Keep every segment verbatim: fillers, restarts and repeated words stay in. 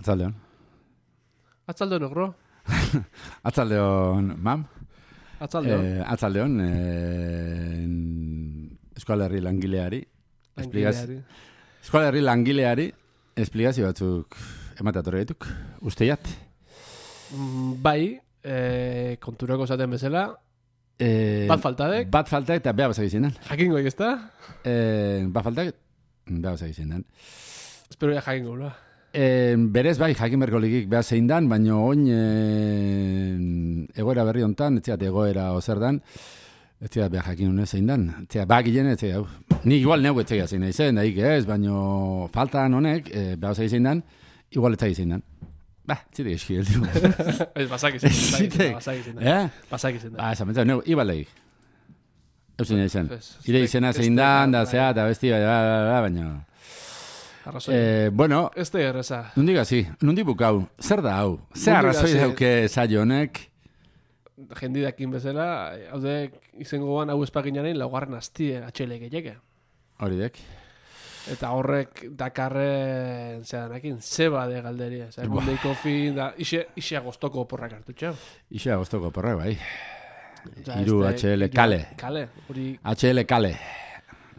Atzaldeon. Atzaldeon, ogro? Atzaldeon, mam? Atzaldeon. Eh, atzaldeon, eh, Euskal Herri langileari. Langileari. Euskal Herri langileari esplikazio batzuk emateatorre dituk. Usteiat? Mm, bai, eh, konturako zaten bezala, Eh, bat faltadek. Bat faltak eta beha bazak izenan. Jakingo ezta? Eh, bat faltak, beha bazak izenan. Espero ya jakingo, la. Eh, berez bai, jakin berko ligik beha zein dan, baina oin eh, egoera berri hontan, etziat egoera ozer dan, etziat beha jakin hone zein dan. Etziat, ba gilen, etziat, hau. Ni igual neu etziat zein nahi zen, daik ez, baina faltan honek, eh, beha bazak zein dan, igual etziat zein dan. Ba, zitek eski, el dugu. Ez, basak izan, Zitek. basak izan. Eh? Basak izan. Ba, esan betza, neu, ibal legik. Eusen nahi zen. Ez, ez Ire tek- izena ez zein tek- dan, da bai. zea, eta besti, baina... Arrazoi. Eh, bueno, Ez da erreza. nondik hasi, nondik bukau, zer da hau? Zer Nondik arrazoi hasi? dauke saio honek? Jendidakin bezala, haude izangoan hau espaginaren laugarren astie atxele gehiago. Hori dek. Eta horrek dakarren zeanakin, zeba de galderia. Zer, mundeiko fin, da, ise, ise agostoko porrak hartu txau. Ixe agostoko porra, bai. Osea, Hiru este- H L kale. Kale, hori, H L kale.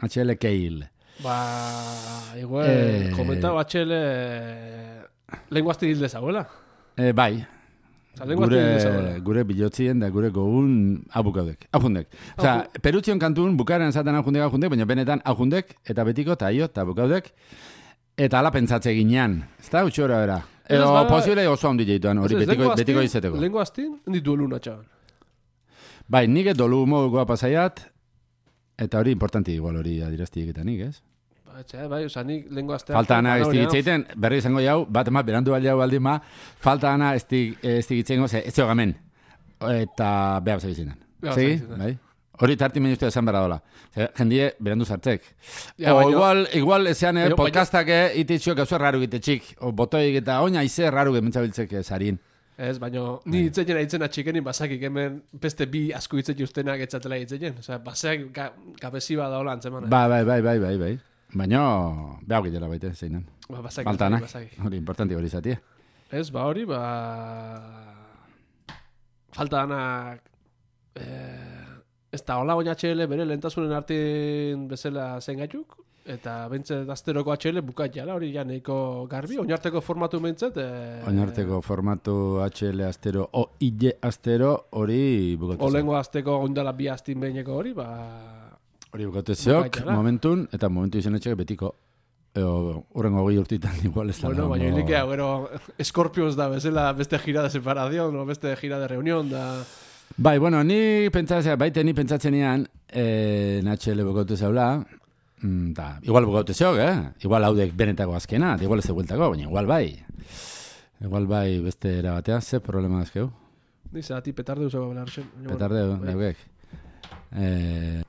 H L keil. ba, igual, Eh. komentau H L lenguazti hilde zauela. E, bai. Osa, lenguazti hilde Gure, zauela. gure bilotzien da gure gogun abukaudek. Ajundek. Osea, perutzion kantun bukaren zaten ajundek, ajundek, baina benetan ajundek, eta betiko, eta aio, eta bukaudek, eta ala pentsatze ginean. Ez da, utxora bera. Ez, Edo bada- posible oso handi jeituan, hori Ez, ez, betiko, lenguaztin- betiko izeteko. Lenguaztin, ditu eluna txaban. Bai, nik dolu modukoa pasaiat, eta hori importanti igual hori adiraztiek eta nik, ez? Ba, etxe, bai, oza, nik lenguaztea... Falta ana ez digitzeiten, berri izango jau, bat ema, berandu baldea baldin ma, falta ana ez digitzengo, ze, ez zogamen, eta beha basa gizinan. Beha Segi, basa bai? Hori tarti menuztu esan berra dola. Ze, jendie berandu sartzek. Ja, o baino- igual, igual ezean eh, baino- podcastak eh, ititxio gauzo raru gitetxik, o botoik eta oina ize raru gementzabiltzek eh, sarin. Ez, baina ni hitzeien aitzen atxikenin basakik hemen beste bi asko hitzei ustenak etzatela hitzeien. Osea, baseak ga, gabezi bada hola antzemana. Ba, bai, bai, bai, bai, bai. Baina, behau gitela baite, zeinan. Ba, basakik, Faltanak, basakik. hori importanti hori zatie. Ez, ba hori, ba... Falta danak... Eh, ez da, hola oin H L bere lehentasunen artin bezala zen gaituk, eta bentset asteroko H L bukat jala, hori ja nahiko garbi, oinarteko formatu bentset... Eh, Oinarteko formatu H L astero, o I L astero, hori bukatu zen. Olengo azteko oindala bi astin behineko hori, ba... Hori bukatu zeok, Bukaitara. momentun, eta momentu izan etxek betiko. Eo, urrengo goi urtitan igual ez da. Bueno, baina dago- ilikea, gero, Scorpions da bezala beste gira de separación, o beste gira de reunión, da... Bai, bueno, ni pentsatzea, baite ni pentsatzenean, eh, N H L bukatu zeula, mm, da, igual bukatu zeok, eh? Igual haudek benetako azkena, igual ez egueltako, baina igual bai. Igual bai beste era batean, ze problema dazkeu? Dice, ati petarde usako belar zen. Petarde, daukek. Eh,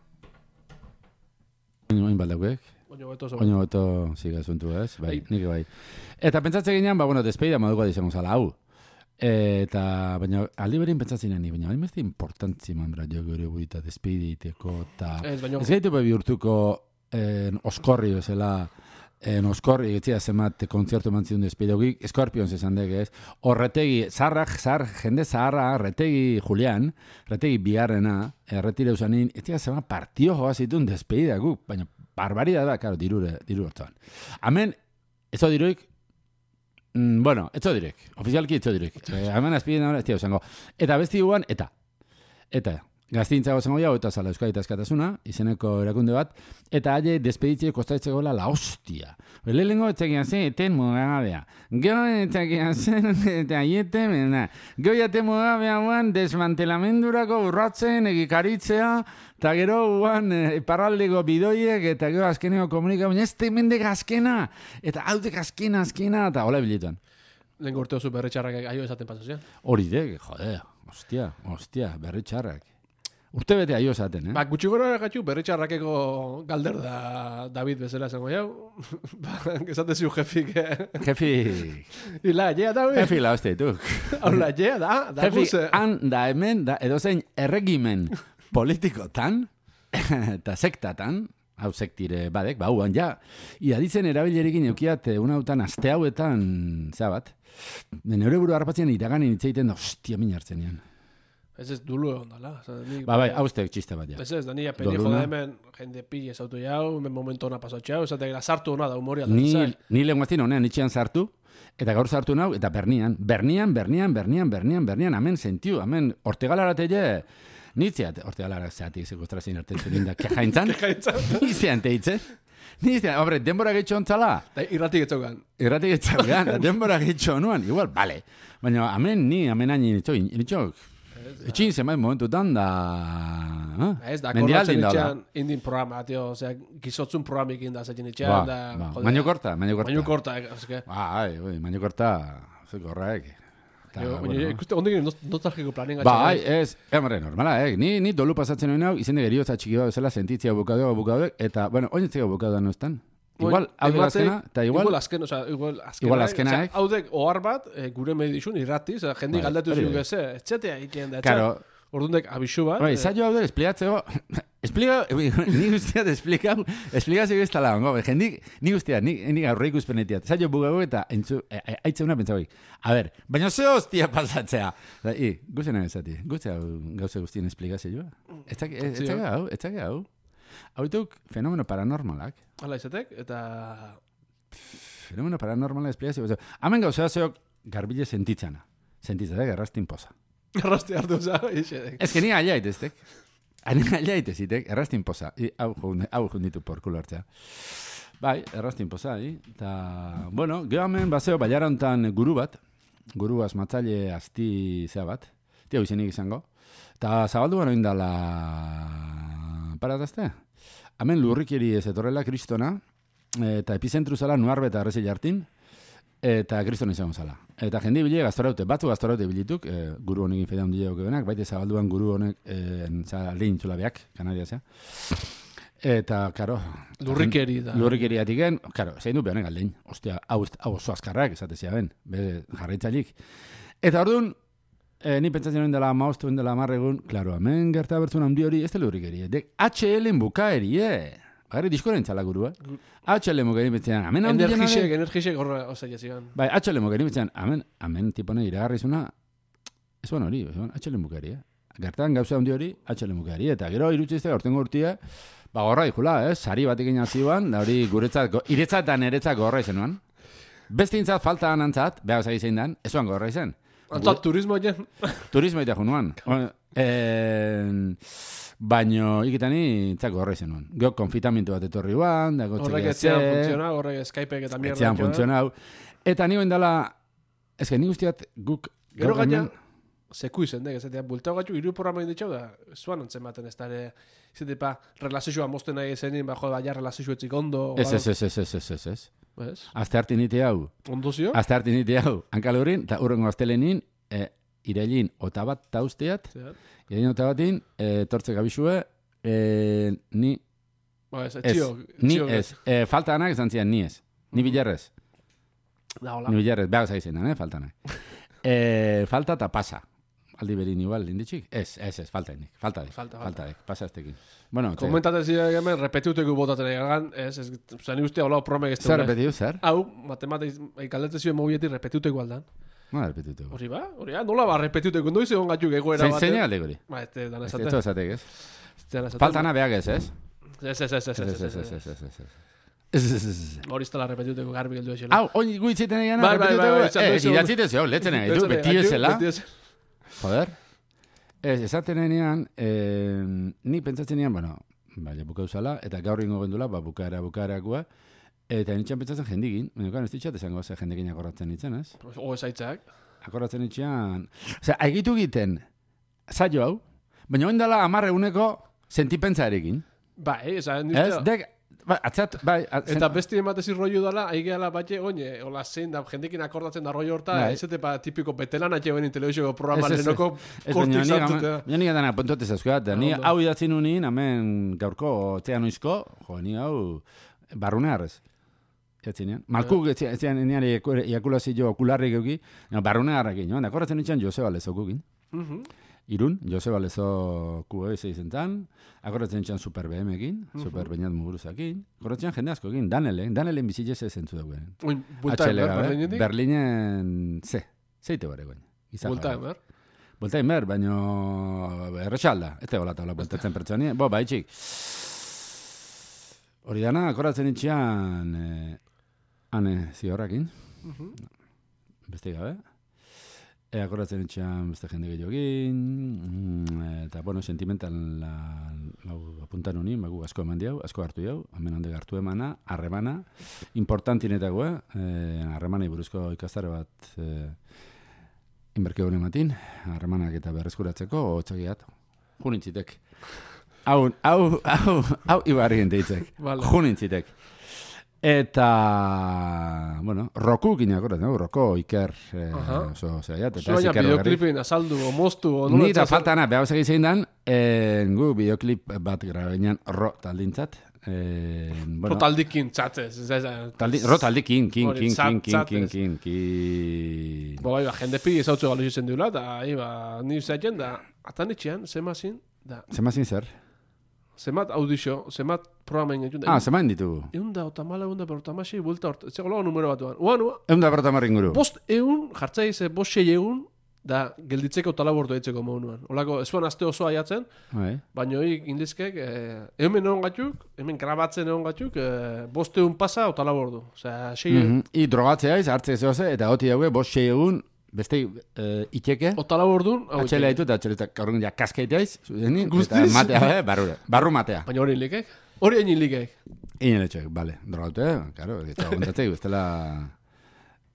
oin baldaukek. Oño beto zo. Oino beto ziga zuntu ez, bai, Bai. nik bai. Eta pentsatze ginean, ba, bueno, despeida moduko izango zala hau. Eta, baina, aldi berin pentsatzen ni, baina, hain beste importantzi manbra jo gure buita despeiditeko, eta Ez, baina... ez gaitu bebi urtuko en, oskorri bezala, en oskorri etzia zemat kontzertu mantzidun despidogik, Scorpions esan dek ez, horretegi, zarrak, zar, jende zaharra, retegi Julian, retegi bigarrena, erretire usanin, etzia zemat partio joa zituen despeida guk, baina barbaridad da, karo, dirure, diru hortuan. Hemen, ezo diruik, mm, bueno, etzo direk, ofizialki etzo direk. Eh, hemen azpiden ahora, ez tia esango. Eta besti guan, eta, eta, gaztintzago zengo jau, eta zala Euskadi Askatasuna, izeneko erakunde bat, eta haie despeditzie kostaitzeko la hostia. Lehengo etzakian zen, eten mugabea. Gero etzakian zen, eta aiete, mena. Gero jate mugabea guan, desmantelamendurako urratzen, egikaritzea, eta gero guan, e, parraldeko bidoiek, eta gero azkeneko komunika, baina ez temendek azkena, eta haudek azkena, azkena, eta hola bilituan. Lehen gorteo zu berretxarrak aio esaten pasazian. Hori dek, jode, hostia, hostia, berri txarrak. Urte bete aio esaten, eh? Ba, gutxi gora gatxu berretxarrakeko galder da David bezala esango jau. Ba, esate ziu jefik, eh? Jefi, Ila, jea da, ui. jefi la hostia, tuk. Hola, jea da, da Jefi, guze. han da hemen, da edozein erregimen politikotan, eta sektatan, hau sektire badek, ba, huan, ja, iaditzen erabilerekin eukiat, una hautan, aste hauetan, zea bat, neure buru harrapatzen iraganin itzeiten da, hostia, min hartzen ean. Ez ez dulu egon dala. Ba, bai, hauztek txiste bat, ja. Ez ez, da nire peni jode hemen, jende pille zautu jau, hemen momentu hona pasatxe jau, esatek da sartu hona da humoria. Ni, ni lenguaztin honean itxean sartu, eta gaur sartu nau, eta bernian, bernian, bernian, bernian, bernian, bernian, amen sentiu, amen, ortegalaratele, nitzeat, ortegalarak zeatik sekustrazien artetzen inda, kejaintzan, nitzean teitze, nitzean, hombre, denbora gehitxo ontzala. Irratik etxogan. Irratik etxogan, denbora gehitxo nuan, igual, bale, baina amen ni, amen hain nitxok, nitxok, etxin zenbait momentutan da... Ez da, korratzen itxean indin programa, tio, osea, gizotzun programik inda zetin itxean, da... Maño korta, maño korta. Maño korta, eske. Ba, maño korta, zeko horrek. Ikuste, ondik nostalgiko planen gatxe. Ba, ez, emre, normala, eh? Ni dolu pasatzen hori nau, izende geriotza txiki bat bezala sentitzia bukadeo, bukadeo, eta, bueno, oin etzeko bukadeo da nostan. Igual, hau de azkena, eta igual... Igual azken, oza, igual azkena. Igual azkena, eh? Hau dek ohar bat, gure medizun irrati, oza, jendi galdatu zuen geze, etxetea ikien da, etxetea. Ordundek abixu bat. Bai, zailo hau de, espliatzeko... Espliga, ni guztiat esplikau, esplikazio ez tala hongo, jendik, ni guztiat, ni gaurre ikuspenetiat. Zailo bugago eta entzu, aitzeuna pentsagoik. A ber, baina ze hostia pasatzea. I, guzena ezati, guztia gauze guztien esplikazio joa. Etzake hau, etzake hau. Hau dituk fenomeno paranormalak. Hala izatek, eta... Fenomeno paranormalak esplikazio. Hemen gauzea zeok garbile sentitzana. Sentitzatek, errastin poza. Errasti hartu za, isedek. Ez que ni aliait eztek. Ni aliait ezitek, errastin poza. Hau junditu porkulo hartzea. Bai, errastin poza, eta... Bueno, geho hemen bazeo baiara hontan guru bat. Guru asmatzaile asti zea bat. Tia izenik izango. Eta zabaldu gano indala... Paratazte? Hemen lurrikeri ez etorrela kristona, eta epizentru zala nuarbe eta arrezile hartin, eta kristona izango zala. Eta jendi bile gaztoraute, batzu gaztoraute bilituk, e, guru honekin fedea hundi jau benak, baite zabalduan guru honek e, aldein zulabeak, Kanadiazea. Eta, karo... Lurrikeri da. Lurrikeri atiken, karo, zein du behonek aldein. Ostia, hau oso azkarrak, esatezia ben, be jarraitzailik. Eta orduan, E, ni pentsatzen nuen dela maostu dela amarregun, klaro, hemen gerta bertzun handi hori, ez da lurrikeri, dek H L-en bukaeri, eh? Bagarri diskoren txala gurua. H L-en bukaeri betzean, hemen handi jenare... Energisek, energisek horre osaia zigan. Bai, H L-en bukaeri betzean, hemen, hemen tipone iragarrizuna, ez ban hori, H L-en bukaeri, eh? Gertan gauza handi hori, H L-en bukaeri, eta gero irutxizte hortengo urtia, ba gorra ikula, eh? Sari batekin azioan, da hori guretzat, iretzat eta niretzat gorra izenuan. Bestintzat falta anantzat, behar zagi zein dan, ezuan gorra izen. Antzat, turismo jen? Turismo eta junuan. Baino, ikitani, txako horre izan nuen. Geo konfitamentu bat etorri guan, dago txekia ze. Horrek etxean funtzionau, horrek Skypeek eta mierda. Etxean funtzionau. Eta ni dela, ez que ni guztiat guk... Gero gaina, seku izen, dek, ezatea, bultau gatu, iru programa inditxau da, zuan ontzen baten, ez dara, izatea, pa, relazioa mozten nahi ezenin, bajo, baina relazioa etzik ondo. Ez, ez, ez, ez, ez, ez, ez. ¿Ves? Azte hartin ite hau. Ondo zio? Azte hartin ite hau. Hankalurin, eta urrengo aztelenin, e, irailin otabat tausteat, irailin otabatin, e, tortze gabixue, e, ni... Ba, ez, ez, txio, ni txio, ez. E, falta anak esan zian, ni ez. Ni bilarrez. Da, hola. Ni bilarrez, behar zaizen, eh, falta anak. e, falta eta pasa. Aldi berin igual, inditxik? Ez, ez, ez, falta indik. Falta dek. Falta, falta dek. Pasa aztekin. Bueno, komentatzen ziren hemen, repetiuteko botatzen egan, ez, ez, zani uste hola promek ez. Zer repetiu, zer? Hau, matematik, galdetzen ziren mobiletik repetiuteko aldan. No, repetiuteko. Hori ba, hori ba, nola ba, repetiuteko, noiz egon gatzuk egoera bat. Zein alde gori? Ba, ez, dan esate. Ez, ez, esatek, ez? Falta ana behag ez, ez? Ez, ez, ez, ez, ez, ez, ez, ez, ez, ez, ez. Hori iztela repetiuteko garbi geldu esela. Hau, oin guitziten egin, repetiuteko? Eh, idatziten zeo, letzen egin, du, beti ezela. Joder. Ez, esaten enean, eh, ni pentsatzen enean, bueno, baina buka usala, eta gaur ingo gendula, ba, bukaera, bukaerakua, eta nitxan pentsatzen jendigin, baina ez ditxat esango, ze jendikin akorratzen nitzen, ez? O ezaitzak. Akorratzen nitxan, osea, egitu egiten, zailo hau, baina oin dela amarre uneko sentipentzarekin. Bai, esan Ez, dek, ba, atzat, bai. Atzen, eta besti ematezi rollo dala, aigeala batxe, oine, hola zein da, jendekin akordatzen da rollo horta, bai. ez pa tipiko betelan atxe benin telebizioko programa ez, ez, lehenoko kortik zartuta. Baina nik adana pontote zazkoat, ni hau idatzen unin, hemen gaurko, txea noizko, jo, ni hau, barrunearrez. Etzinean. Malku, etzinean, niari iakulazio okularrik euki, barrunearrekin, joan, akordatzen nitxan Joseba Lezokukin. Irun, Joseba Lezo Q E izen zan, akorratzen txan Super B M-ekin, uh -huh. Super Beñat Muguruzakin, akorratzen jende askokin, Danelen, Danelen bizitze ze zentzu dagoen. Uin, bulta emer, Berlinetik? Berlinen, ze, zeite bare goen. Bulta emer? Bulta emer, baino errexalda, ez tegola tabla bultatzen pertsoni, bo, baitxik. Hori dana, akorratzen itxian, eh, ane ziorrakin, uh -huh. beste gabe. E, akordatzen etxean beste jende gehiagin, eta, bueno, sentimental la, la, apuntan honi, bagu asko eman diau, asko hartu jau, hemen hande hartu emana, harremana, importantinetako, eh, harremanei buruzko ikastare bat eh, inberke hori ematin, harremanak eta berreskuratzeko, otxakiat, junintzitek. Hau, hau, hau, hau, ibarri genteitzek, vale. Junintzitek. Eta, bueno, Roku gine akordat, no? Roku, Iker, eh, oso, zera, eta Iker bideoklipin azaldu, o moztu, o nola. Nira faltana, behar bezak izan dan, eh, gu bideoklip bat grabenean ro taldintzat. Eh, bueno, ro taldikin txatez. Taldi, ro taldikin, kin, kin, kin, kin, kin, kin, kin. Bo, bai, jende pi ezautzu galu izen duela, eta, iba, ni zaten da, atan etxean, zemazin, da. Zemazin zer? Zemat audizio, zemat programen egin. Ah, zemat ditugu. Egun da, otamala, egun da, berrotamasi, buelta hort. Ez egolo numero batuan. Uan, uan. Egun da, berrotamarri inguru. Bost egun, jartzai ze, bost sei egun, da, gelditzeko talabortu eitzeko moduan. Olako, ez zuan azte osoa jatzen, baina hori indizkek, eh, hemen egon gatuk, hemen grabatzen egon gatuk, eh, bost egun pasa, otalabordu. Osea, sei egun. Mm -hmm. I drogatzea iz, hartze zehoze, eta hoti daue, bost sei egun, beste uh, itxeke. Otala bordun. Atxela ditu, eta atxela gaurun ja kaskaitea iz. Eta matea, barru, barru matea. Baina hori likek? Hori egin likek? Egin letxek, bale. Drogaute, karo, eta ondatzei, bestela...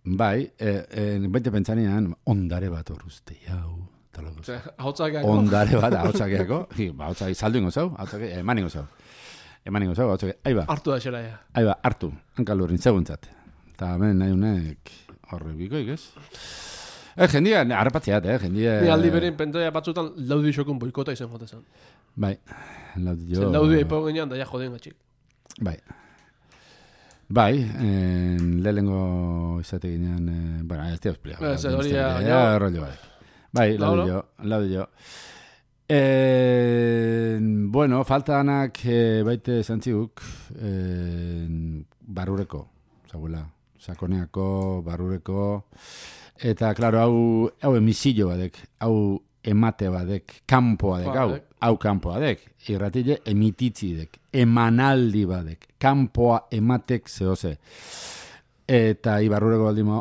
Bai, eh, eh, baita pentsanean, ondare bat horruzte, jau. Ahotzakeako. Ondare bat, ahotzakeako. Ahotzakeako, saldu ingo zau, ahotzakeako, eman ingo zau. Eman ingo zau, ahotzakeako. Aiba. Hartu da xera, ja. Aiba, hartu. Hankalurin, seguntzat. Eta hemen nahi unek horre bikoik, ez? Eh, jendia, harrapatzeat, eh, jendia... Ni aldi berein pentoia batzutan laudi xokun boikota izan jotezan. Bai, laudi jo... Zen laudi eipo genean da ja joden gatxik. Bai. Bai, en, lehengo izate ginean... Eh, bueno, ez teo espliego. Ez, hori ja... Ja, rollo bai. Bai, laudi jo, laudi jo. Eh, bueno, faltanak eh, baite zantziguk eh, barrureko, zaguela, sakoneako, barrureko... Eta, klaro, hau, hau emisillo badek, hau emate badek, kanpo badek, hau, hau kanpo badek, irratile emititzi dek, emanaldi badek, kanpoa ematek zehose. Eta ibarrureko baldimo,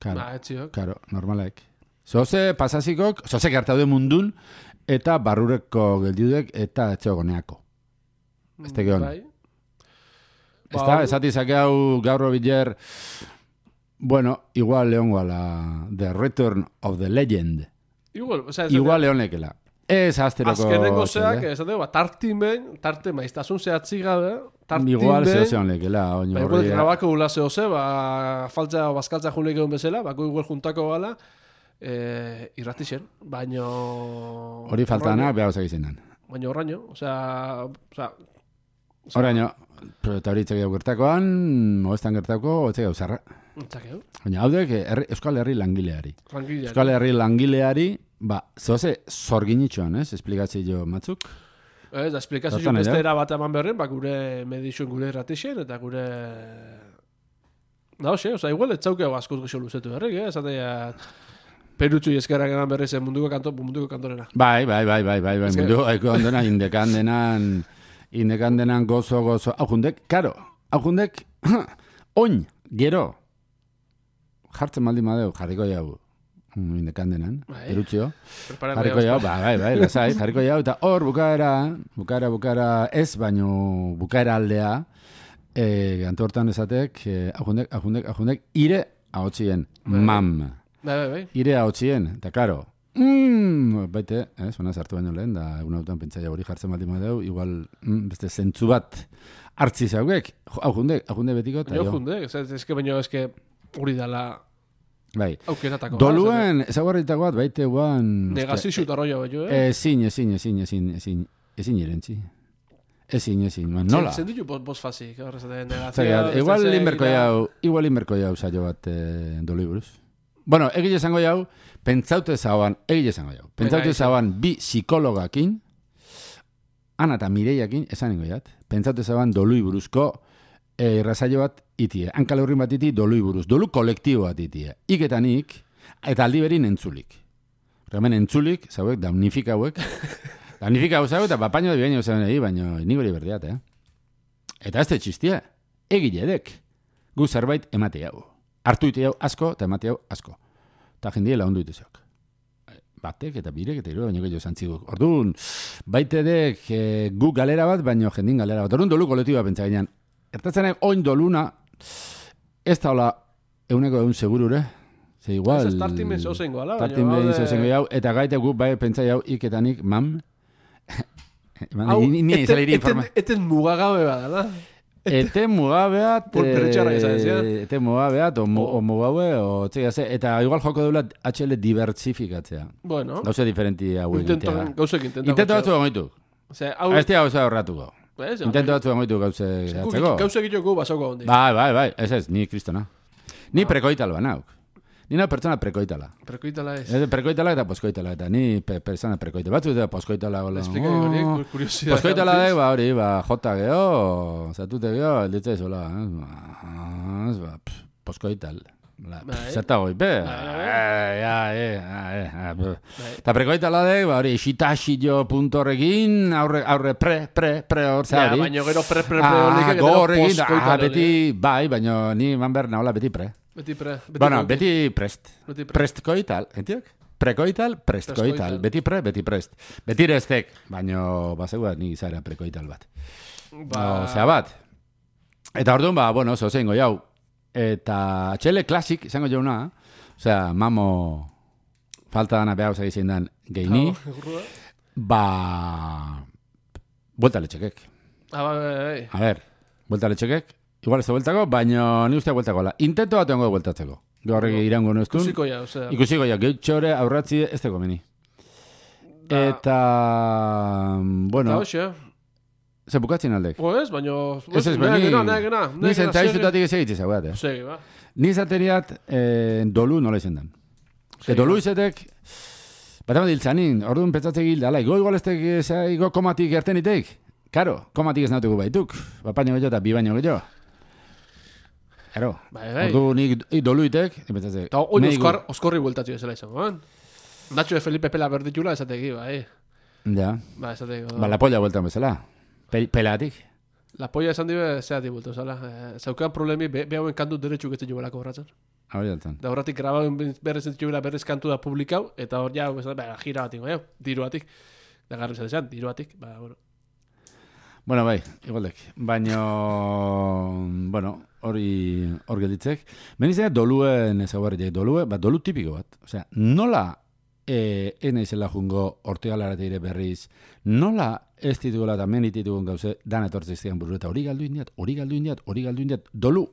karo, ba, karo, normalek. Zehose pasazikok, zehose gertaude mundun, eta barrureko geldiudek, eta etxegoneako. Ez tegeon. Bai. Ez da, esatizake hau gaurro biler... Bueno, igual leongo a la The Return of the Legend. Igual, o sea, igual leonekela. Ez asteroko... Azkenengo zeak, ez da, tartimen, tarte maiztasun zehatzi gabe, tartimen... Igual zehose honekela. Ba, igual grabako gula zehose, ba, faltza, bazkaltza junek egon bezala, bako igual juntako gala, eh, irratixen, baino... Hori faltana, behar bezak izenan. Baino horraino, o sea... O sea horraino, eta hori itzak gertakoan, moestan gertako, otzak gau zarra. Baina, hau dek, Euskal Herri langileari. Langileari. Euskal Herri langileari, ba, zehose zorginitxoan, ez? Esplikatzi jo matzuk. Ez, da, esplikatzi jo beste era bat eman berren, ba, gure medizuen gure erratixen, eta gure... Da, hoxe, oza, igual, etzaukeo askoz gixo luzetu berrek, eh? Zatea, perutxu eskerrak eman berriz munduko, kanto, munduko kantorena. Bai, bai, bai, bai, bai, bai, munduko kantorena, indekandenan, indekandenan gozo, gozo. Hau jundek, karo, hau jundek, oin, gero, jartzen maldi madeu, jarriko jau, indekandenan, erutxio. Jarriko jau, bai, bai, bai, lasai, jarriko jau, eta hor bukaera, bukaera, bukaera, ez baino bukaera aldea, eh, gantu hortan esatek, ahundek, ahundek, ahundek, ire ahotzien, mam. Bai, bai, bai. Ire ahotzien, eta karo, mm, baite, eh, zona sartu baino lehen, da egun hautan pentsaia hori jartzen maldi madeu, igual, mm, beste zentzu bat hartzi zauek, ahundek, ahundek betiko, eta jo. Ahundek, ez que baino, ez que hori dala... Bai. Aukeratako. Doluen, ezaguarritako bat, baite guan... Negazizio eta roia bat jo, eh? Ezin, ezin, ezin, ezin, ezin, ezin irentzi. Ezin, ezin, man, nola? Zen ditu bos fazik, horrez, negazio... Igual inberko jau, igual inberko jau saio bat dolu buruz. Bueno, egile esango jau, pentsaute zauan, egile esango jau, pentsaute zauan bi psikologakin, Ana eta Mireiakin, esan ingo jat, pentsaute zauan dolui buruzko e, irrazaio bat itie, hankale horrin bat iti dolui buruz, dolu kolektibo bat itie, iketanik, eta aldi berin entzulik. Hemen entzulik, zauek, damnifika hauek, damnifika hau zauek, eta bapaino da bigaino zauen egi, baina nik hori berdeat, eh? Eta ez te txistia, egile edek, gu zerbait emate hau. Artu ite hau asko, eta emate hau asko. Eta jendie laundu ite zeok. Batek eta birek eta hiru baino gehiago zantziguk. Orduan, baitedek e, gu galera bat, baino jendin galera bat. Orduan dolu kolektiboa pentsa gainean. Ertatzenek oin doluna, ez da hola euneko egun segurure. Ze igual... Ez tartin behin zauzengo, ala? Tartin behin zauzengo jau, eta gaite gu bai pentsa jau iketanik, mam... Hau, eten mugagabe bat, ala? Ete mugabeat, e, ete mugabeat, o, o mugabe, o txegia ze, eta igual joko deula H L diversifikatzea. Bueno. Gauze diferenti hau egitea. Gauzek intento. Intento batzu egoitu. Ez tia gauza horratuko. Intento batzu egoitu gauze gatzeko. Gauze egiteko basoko hondi. Bai, bai, bai, ez ez, ni kristona. Ni prekoital banauk. Ni na pertsona prekoitala. Prekoitala ez. Prekoitala eta poskoitala, eta ni pe, persona prekoitala. Batzu eta poskoitala. Explika hori, oh, kuriosidad. Poskoitala da, ba, hori, ba, jota geho, zatute geho, elditza izola. Ba, poskoital. Zerta goi, be. Eta prekoitala da, ba, hori, xitaxillo puntorrekin, aurre, aurre, pre, pre, pre, hor zari. Ja, baina gero pre, pre, pre, hori, gero poskoitala. Beti, bai, baina ni man behar nahola beti pre. Beti pre. Beti bueno, beti prest. Beti pre. Prestkoital, entiok? Prekoital, prestkoital. Beti pre, beti prest. Beti restek, baina basegua ni zara prekoital bat. Ba... Osea bat. Eta orduan, ba, bueno, oso zeingo jau. Eta txele klasik, izango jauna, osea, mamo falta dana behar uzak izan dan geini, ba... Buelta letxekek. Ah, bai, bai, bai. A ver, buelta letxekek. Igual ez da bueltako, baina ni uste bueltako la. Intento bat ongo bueltatzeko. Gaurrek no, irango nuztun. Ikusiko ja, osea. Ikusiko ja, gehiotxore aurratzi ez teko meni. Da. Eta, bueno... Da, hoxe. Ze bukatzen aldek? O ez, baina... Ez ez, baina... Nahi gena, nahi gena. Ni zentzaizutatik ez egitze zaugat, eh? Segi, ba. Ni zateriat eh, dolu nola izan dan. E dolu izetek... Bat ama diltzanin, orduan petzatzek gilda, ala, igo igual ez tek, igo komatik erten itek. Karo, komatik ez nautuko baituk. Bapaino gehiago eta bi baino gehiago. Ero, bai, bai. Ordu nik doluitek, ipetzatzek. Eta oin oskar, oskorri bueltatzu ezela izango, ban? Nacho de Felipe pela berditxula esateki, bai. Ja. Ba, esateki. Ba, la polla bueltan bezala. Pel, pelatik. La polla esan dibe, zeatik bueltu, zala. Eh, zaukean problemi, be, behauen kantu deretxuk ez dugu belako horratzen. Hori altan. Da horratik grabauen berrez entzuko bila berrez kantu da publikau, eta hor ja, ba, gira batik, bai, diru batik. Da garri zatean, diru batik, ba, bueno. Bueno, bai, igualdek. Baina, bueno, hori hor gelditzek. Benizena doluen ezaguarriak, dolue, bat dolu tipiko bat. Osea, nola e, ena izela jungo ortegalarate ire berriz, nola ez ditugula eta men dititugun gauze, dan etortziztian buru, eta hori galdu indiat, hori galdu indiat, hori galdu indiat, dolu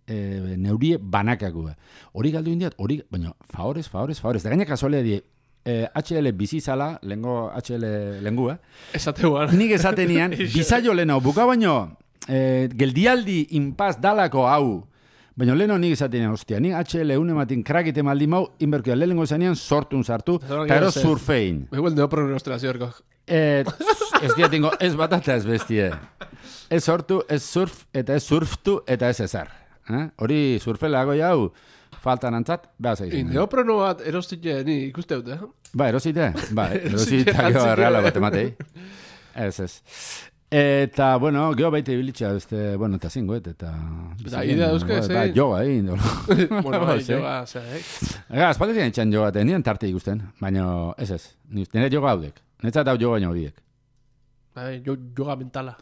e, neurie banakako. Hori galdu indiat, hori, baina, favorez, favorez, favorez. Da gaina kasualea die, Eh, H L bizizala, lengo H L lengua. Esateuan. Nik esatenian, bizaio leno, buka baino, eh, geldialdi inpaz dalako hau, baina leno nik esatenian, ostia, nik H L unematin krakite maldi mau, inberkio, lehengo zanean sortun sartu, eta ero surfein. Igual neopro nostrazioerko. Eh, ez diatingo, ez batata ez bestie. Ez sortu, ez surf, eta ez surftu, eta ez ezar. Eh? Hori surfelago jau, faltan antzat, behaz egin. Neoprono bat erostite, ni ikuste dut, eh? Ba, erosite? Ba, erosite geho erreala bat ematei. Ez, ez. Eta, bueno, geho baita ibilitza, este, bueno, eta zingoet, eta... Da, idea duzke, ez, Ba, yoga egin. Bueno, bai, yoga, ose, eh? Ega, espaldetik entxan yoga, eta nien tarte ikusten, baina, ez ez, nire yoga haudek. Netzat hau yoga baino horiek. Bai, yoga mentala.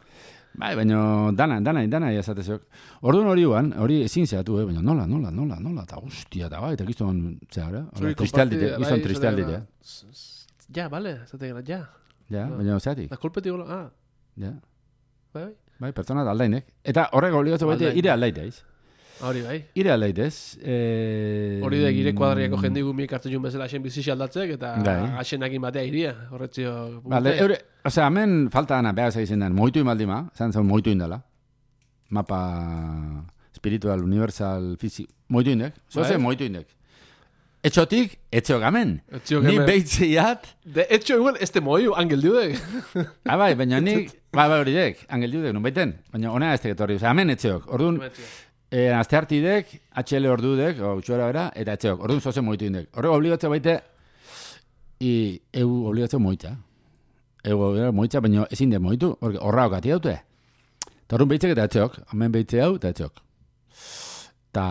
Bai, baina dana, dana, dana jasatezok. Orduan hori guan, hori ezin zehatu, eh? Baina nola, nola, nola, nola, eta guztia, eta bai, eta gizton, zehara, tristealdite, gizton tristealdite. Ja, bale, zate gara, ja. Ja, baina zeatik. Da kolpeti gola, ah. Ja. Bai, bai, pertsona da aldainek. Eta horrek obligazio baita, ire aldaiteiz. Hori bai. Ire aldaitez. Eh... Hori da gire kuadriako jende gumik hartu jun bezala xen bizixe aldatzek, eta axenakin batea iria, horretzio. Vale, eure, osea, hemen falta dana behar egiten den, moitu imaldima, zan zan moitu indala. Mapa espiritual, universal, fizik, moitu indek. Zoze, moitu indek. etxotik, etxeok amen. Ni behitzeiat... De etxo igual, este moio, angel diudek. Ah, bai, baina nik, bai, bai, hori dek, angel diudek, nun baiten. Baina ona ez tegetorri, oza, amen etxeok. Orduan, eh, azte hartidek, H L ordudek, o utxora bera, eta etxeok. Orduan zoze moitu indek. Horrek obligatzea baite, i, eu obligatzea moitza. Eu moitza, baina ezin de moitu, horra okati daute. Eta orduan behitzek eta etxeok, amen behitze hau eta etxeok. Ta...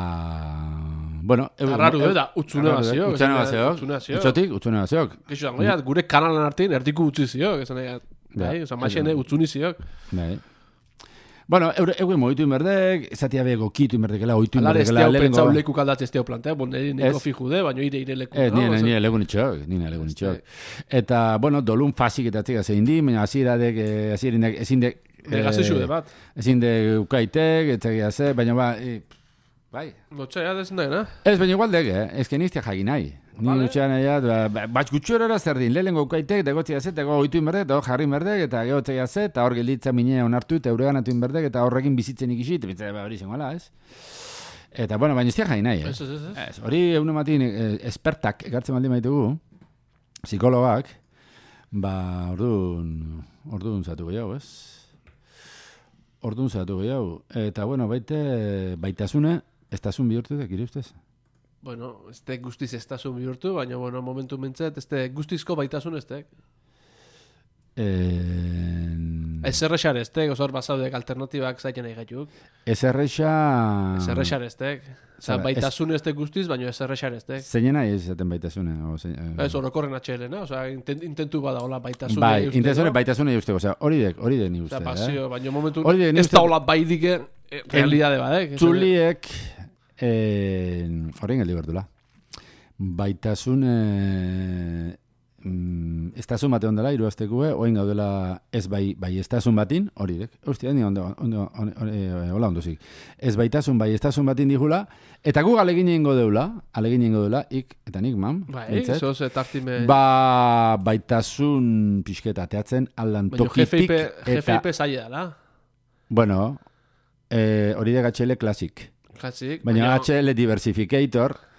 Bueno, arraru da, utzune baziok. Utzune baziok. Utzotik, utzune baziok. Geixo zango, ja, gure kanalan artein erdiko utzi ziok. Esan nahi, bai, oza, maxene utzuni ziok. Bai. Bueno, eure moitu inberdek, esatia bego kitu inberdekela, oitu inberdekela. Alar, inberdekela. Alar, ez teau leku kaldatze ez teau plantea, bon, nire neko fijude, baina ire ire leku. Ez, nire, nire leku nitxok, nire leku nitxok. Eta, bueno, dolun fasik eta txeka zein di, baina aziradek, azirindek, ezin dek... Negazizu de bat. Ezin dek ukaitek, etxegia ze, baina ba... Bai. Gotxea, ez nahi, Ez, baina igual dek, eh? Ez que niztia jagin nahi. Ni gutxean nahi, bat gutxorora zer din, lehenko ukaitek, degotzea ze, eta oitu inberdek, eta hor jarri inberdek, eta gehotzea ze, eta hor gelitza minea onartu, eta eureganatu inberdek, eta horrekin bizitzen ikisi, eta bitzea hori zengoela, ez? Eta, bueno, baina niztia jagin nahi, eh? Ez, ez, ez. Ez, hori egun ematin espertak, ekartzen baldin maitugu, psikologak, ba, orduan, orduan zatu gehiago, ez? Orduan zatu gehiago. Eta, bueno, baite, baitasune, estasun bihurtu dek, iri ustez? Bueno, ez tek guztiz estasun bihurtu, baina, bueno, momentu mintzet, ez tek guztizko baitasun ez tek. En... Ez errexar ez tek, osor basaudek alternatibak zaiten nahi gaituk. Ez errexa... Ez errexar ez tek. Osa, baitasun ez tek guztiz, baina ez errexar ez tek. Zeinen nahi ez zaten baitasune? Ez orokorren atxelena, osa, intentu bada hola baitasune. Bai, intentzune baitasune usteko, osa, hori dek, hori dek ni uste. Osa, pasio, baina momentu ez da hola baidike realidade badek. Txuliek, horrein geldi berdula. Baitasune... Mm, estasun bate ondela, iruaztekue, oin gaudela ez bai, bai estasun batin, hori dek, hostia, ni ondo, ondo, hola ondo zik, ez baitasun bai estasun batin dijula, eta gu alegin egingo deula, alegin egingo deula, ik, eta nik, mam, bai, zoz, etartime... Ba, baitasun pixketa teatzen, aldan tokitik, eta... G F I P zaila dela. Bueno, eh, hori dek H L Classic. Classic. Baina H L Diversificator,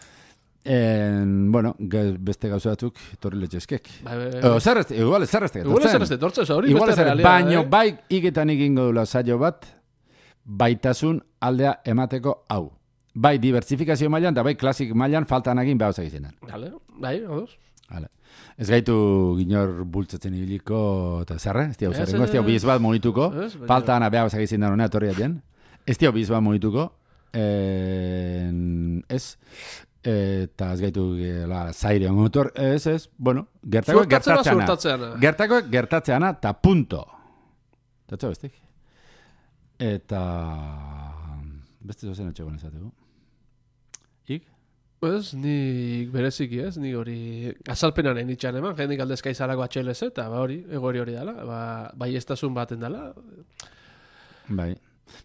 En, bueno, beste gauza batzuk torri letxezkek. Bai, bai, bai. Zer ez, igual ez zerreztek. Igual ez zerreztek, tortze, hori beste realidad. Baino, eh? Bai, iketan egingo dula saio bat, baitasun aldea emateko hau. Bai, diversifikazio mailan, da bai, klasik mailan, faltan egin behar zagizien. Vale, bai, odoz. Vale. Ez gaitu ginor bultzatzen ibiliko, eta zerre, ez diau zerrengo, ez diau biz bat monituko, faltan behar zagizien hona etorri atien, ez diau biz bat monituko, ez... eta ez gaitu la zaire motor, ez ez, bueno, gertakoek gertatzeana. Gertakoek gertatzeana, eta punto. Tatxo bestik. Eta... Beste zozen etxegoen ezateko. Ik? Ez, nik bereziki ez, nik hori azalpenaren itxan eman, jendik aldezka izalako H L Z, eta ba hori, egori hori dela, ba, bai estasun baten dela. Bai.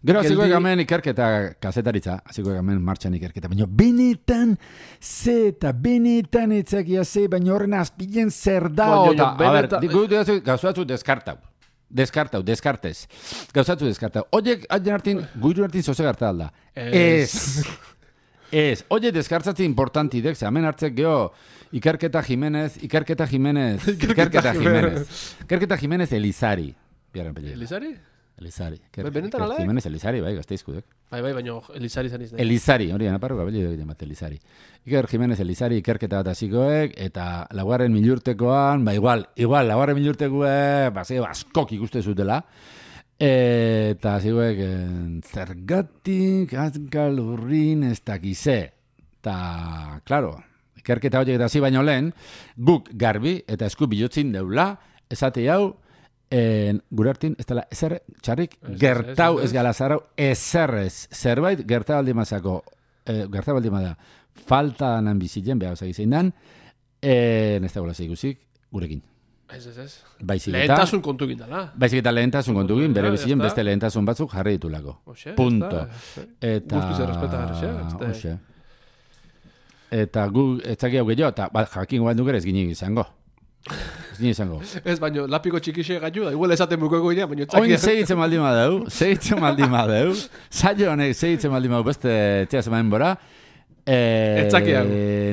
Gero, aziko egamen ikerketa kazetaritza, aziko egamen martxan ikerketa, baina benetan ze eta benetan etzakia ze, baina horren azpilen zer da, eta, a ber, gauzatzu deskartau, deskartau, deskartez, gauzatzu deskartau, oiek, haien hartin, guiru hartin zoze garta alda, ez, ez, oiek deskartzatzen importantidek, ze hemen hartzek geho, Ikerketa Jimenez, Ikerketa Jimenez, Ikerketa Jimenez, Ikerketa Jimenez Elizari, Elizari? Elizari. Benetan ala? Jimenez Elizari, bai, gazteizkudek. Bai, bai, baina Elizari zan izan. Elizari, hori anaparro gabeli dugu emate Elizari. Iker Jimenez Elizari ikerketa bat azikoek, eta laugarren milurtekoan, ba igual, igual, laugarren milurtekoek, ba, zego, askok ikuste zutela, eta zikoek, zergatik, azkal urrin, ez dakize. Eta, klaro, ikerketa horiek eta zi baino lehen, guk garbi eta esku bilotzin deula, esate hau, En, gure hartin, ez dela, ezer txarrik, gertau ez gala zarau, ezerrez, zerbait, gertau aldimazako, eh, gertau aldimada, falta nan bizitzen, behar zagi zein dan, en, ez da gola zeigusik, gurekin. Ez, ez, ez. Baizik eta... Lehentasun kontukin dala. Baizik eta lehentasun kontukin, bere bizitzen beste lehentasun batzuk jarri ditulako. Punto. Eta... Guztiz errespeta gara, xe? Eta gu, ez zaki hau gehiago, eta jakin guan dukera ez ginik izango. Ez nire izango. Ez, baino, lapiko txikixe gaitu da, igual esaten buko egoina, baino txakia. Oin segitzen maldi madeu, segitzen maldi madeu, saio honek segitzen maldi madeu beste txea zemaen bora, Eh, Etzaki hau.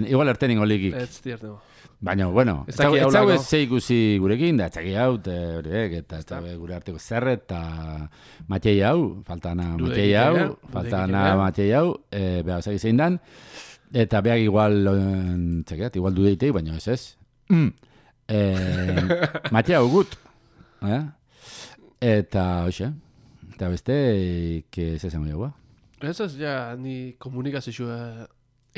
Igual erten ingo likik. Ez tiertego. Baina, bueno, ez Etzaki hau dago lako. ez ze ikusi gurekin, da etzaki hau, horiek, eta ez dago gure arteko zerret, eta Matei hau, faltana Dudekin Matei hau, ere, faltana dudekin ere. Matei hau, eh, beha zaki zein dan, eta beak igual, eh, txekeat, igual dudeitei, baina ez ez. Mm. Eh, Matei hau gut, eh? Eta, hoxe, eta beste, que ez esan goiagua. Ez ez, ja, ni komunikazioa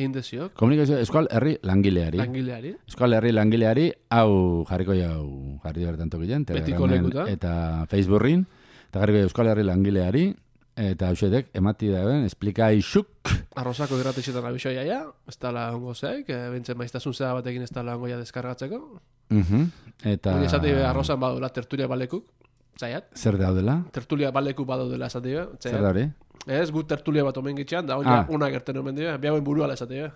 egin deziok, Komunikazio, eskual herri langileari. langileari. Euskal Herri langileari, hau jarriko jau, jarri bertan tokilen, Betiko Telegramen lekutan. eta Facebookin, eta jarriko jau Euskal Herri langileari, eta hausetek, emati dauen, esplika isuk, Arrozako irratixetan abisoia ja, ez dala ongo zeik, e, bintzen maiztasun zera batekin ez dala ongo ja deskargatzeko. uh eta Hori esate arrozan badula tertulia balekuk, zaiat, zer daudela, tertulia balekuk badaudela esate be, zer da hori? Ez, gut tertulia bat omen gitxean, da hori Ah. una gerten omen dira, bihauen buruala esate be.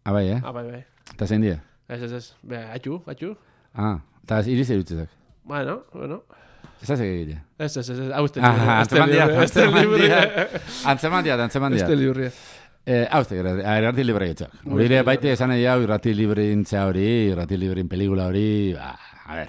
Abai, eh? Ah, bai, bai. Eta zein die? Ez, ez, ez, beha, atxu, atxu. Ah, eta iriz erutzezak. Bueno, bueno. Ez da segite. Ez, ez, ez, ez, hau este Ah, libre, este antzeman diat, libre, este antzeman libre, diat. Antzeman diat, antzeman este diat. libre. Eh, Hauztek, irrati libre getzak. Hurire baite esan nahi hau irrati libreintza hori, irrati librein pelikula hori, ba, a ver,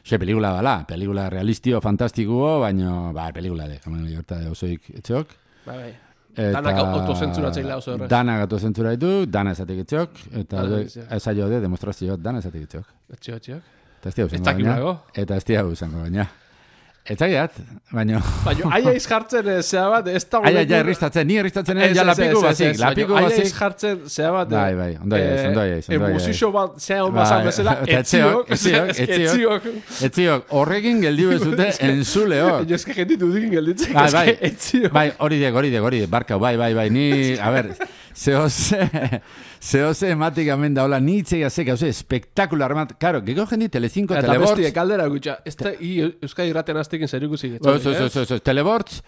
xe pelikula bala, pelikula realistio, fantastikuo, baina, ba, pelikula de, kamen jorta osoik etxok. Bai, bai. Eta, Danak autozentzuratzeila oso errez. Danak autozentzura ditu, dana esatik etxok, eta Dana de- esatik. ez aio de, demostrazio, dana esatik etxok. Etxio, etxiok. Eta ez tia Ez usango dakit baina. nago. Eta ez tia usango baina. Ez zagiat, baina... Baina, aia izjartzen eh, zea bat, ez da... Aia, ja, erristatzen, ni erristatzen, ja, lapiku bazik, lapiku Aia bazik. izjartzen zea bat... Bai, bai, ondo aiz, ondo aiz, ondo aiz. Emuzixo bat, zea hon Bai, bazan bezala, eta etziok, etziok, etziok, etziok. etziok. Etziok, horrekin geldiu bezute entzuleok. Jo, eske jenditu dikin gelditzen, Bai, bai. eske etziok. Bai, hori dek, hori dek, hori dek, barkau, bai, bai, bai, ni, a ber, zehose, zehose ematik amen daola, ni itzea zek, hauze, espektakular emat, karo, geko jendi Telecinco, Eta Telebortz, bestie, kaldera gutxa, ez da, i Euskadi irraten aztekin zer ikusi Oso, oso, oso, oso, Telebortz,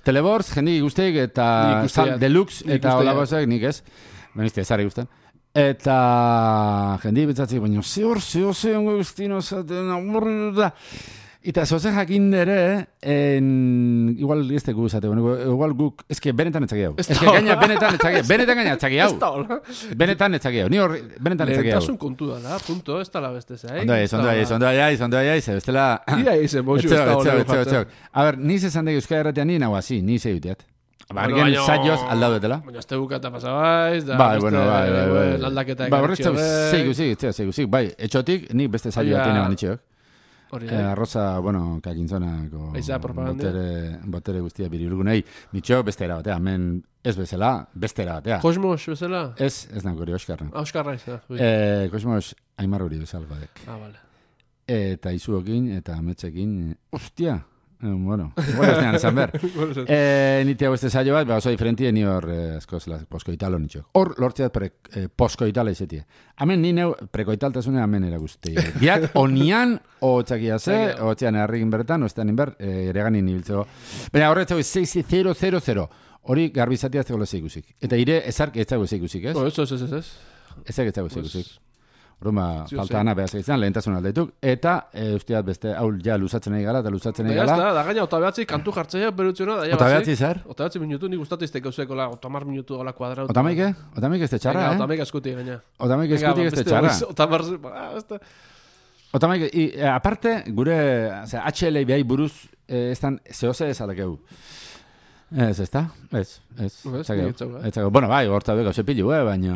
Telebortz, jendi guztiek, eta Nik usteak. Sal Deluxe, Nik eta usteak. olako zek, nik ez, benizte, ezari guztan. Eta jendi betzatzen, baina zehor, zehor, zehor, guztino, zaten, aburru da. Eta zoze jakin dere, en, igual ez teku zate, bueno, igual guk, eske benetan etzaki hau. Ez da Eske hola. gaina benetan etzaki hau, benetan gaina etzaki hau. Ez da hola. Benetan etzaki hau, ni horri, benetan etzaki hau. Lehentasun kontu da, da, punto, ez da la beste zea. Ondo aiz, ondo aiz, ondo aiz, ondo aiz, bestela... Ia izen, boxu, ez Etxeok, da hola. etxeok, etxeok, etxeok. A ber, ni zezan dek Euskal Herratean ni nagoa, zi, ni zei uteat. Bueno, Bargen baina- saioz aldau detela. Baina azte bukata pasabaiz, da Bai, beste, bueno, bai, bai, bai. eh, aldaketa Ba, horretz ekartxio zeigu, zeigu, zeigu, zeigu, zeigu, bai, etxotik, nik beste saio Aia- bat ineban itxeok. Hori Eh, da. arroza, bueno, kakintzonako Aiza, propaganda. botere, botere guztia birilgunei, nitxo bestera batea, hemen ez bezala, bestera batea. Kosmos, bezala? Ez, ez nago hori Oskarra. Auskarra ez da. ui. Eh, Kosmos, Aimar hori bezala badek. Ah, vale. Eta izuokin, eta ametsekin, eh, ostia, eh, bueno, igual ez nean esan ber. Eh, nite hau este saio bat, ba, oso diferentie, ni hor eh, askoz la, poskoitalo nitxo. Hor lortzeat pre, eh, poskoitala izetie. Hemen ni neu prekoitaltasune hemen erakuste. Biak onian, o txakia ze, o txean errikin bertan, o estean inber, eh, ere ganin ibiltzeko. Baina horretzeko sei zero zero zero. Hori garbizatia azteko leze ikusik. Eta ire ezark etzago ze ikusik, ez? No, ez, ez, ez, ez. Ezak etzago ze Pues, ikusik. Orduan, ba, Zio falta zen. ana behaz egiten, lehentasun aldeituk, eta e, usteat beste, hau ja luzatzen nahi gara, eta luzatzen nahi Da, gara. da, da gaina, ota behatzi, kantu jartzea, berutzena, da, ja, Ota basi. behatzi zer? Ota behatzi minutu, nik gustatu izte gauzeko, la, ota mar minutu, hola kuadrau. Otamaike? Otamaike ez te txarra, Ota eh? mega eskuti, gaina. Otamaike eskutik ez te txarra. Ota mar, ba, ez da. Otamaike, i, e, aparte, gure, osea, H L biai buruz, eh, ez dan, zehose ez alakeu. Ez, ez da? Ez, ez. Ez, Etzakeu. nik etzau, eh? Etzakeu. Bueno, bai, horta beko zepilu, eh, baina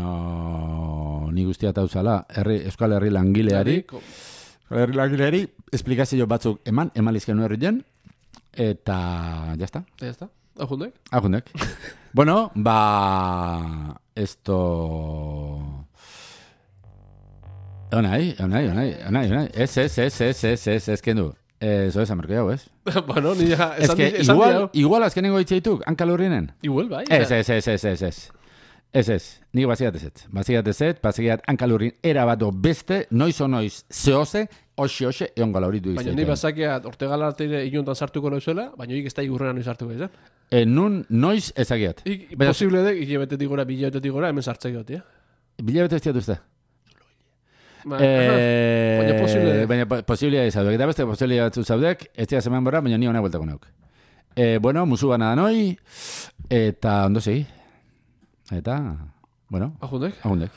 ni guztia tauzala, herri, Euskal Herri langileari, Ko- Euskal Herri langileari, esplikazio batzuk eman, emalizken herrien, eta, jazta. Ya está. Hau jundek? Ajundek. Bueno, ba... Esto... Onai, onai, onai, onai, onai. Ez, ez, ez, ez, ez, ez, ez, kendu. Eso es, amerko jau, ez? Bueno, ni ja, Ez esan que di- esan igual, diau. igual azkenengo itxeituk, hankalurrienen. Igual, bai. Ez, ez, ez, ez, ez, ez. Ez, ez, ni baziat ez ez. Baziat ez ez, baziat hankalurrin erabato beste, noiz o noiz, zehose, hoxe, hoxe, egon gala hori du Baina izteiten. ni bazakia ortegala arteire inuntan sartuko noizuela, baina ik ez da igurrena noiz sartuko izan. E, nun, noiz ezagiat. Ik, Baina- posible dek, hilabetetik gora, bilabetetik gora, hemen sartzeko, tia. Bilabete ez diatuzte. Ba, Eh, Baina posible da. Baina po- posibilea izaudek. Eta beste posibilea batzu zaudek, ez dira zeman borra, baina ni hona bueltako nauk. Eh, bueno, musu gana da noi, eta ondo segi. Eta, bueno, Agundek. agundek.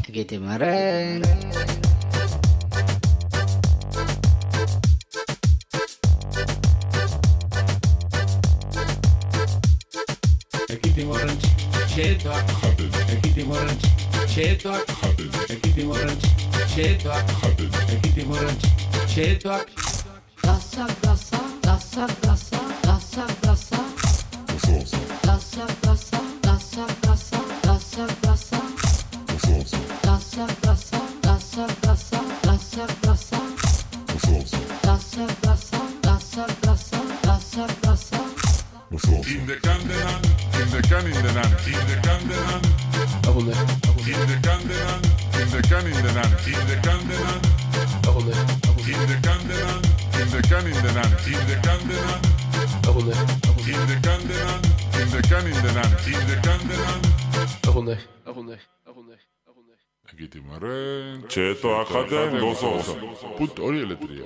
Ekitimaren. Ekitimorren txetoak jaten. Ekitimorren txetoak jaten. Ekitimorren txetoak jaten. Ekitimorren txetoak. Gasa, gasa, gasa, gasa, gasa, gasa. Gasa, gasa, gasa, gasa, gasa, gasa. Gasa, gasa, gasa, gasa, gasa, gasa. Gasa, gasa, gasa, gasa, gasa, gasa. In the Candelan, in the can in the nan, in the Candelan, Agundek. in the Candelan, in the can in the nan, in the Candelan, Agundek. in the Candelan, in the can in the nan, in the Candelan, Agundek. in the Candelan, in the can in the nan, in the Candelan. Agundek. Agundek. Agundek. Agundek. Ekitimaren, txetoak jaten gozoz. Put hori eletria.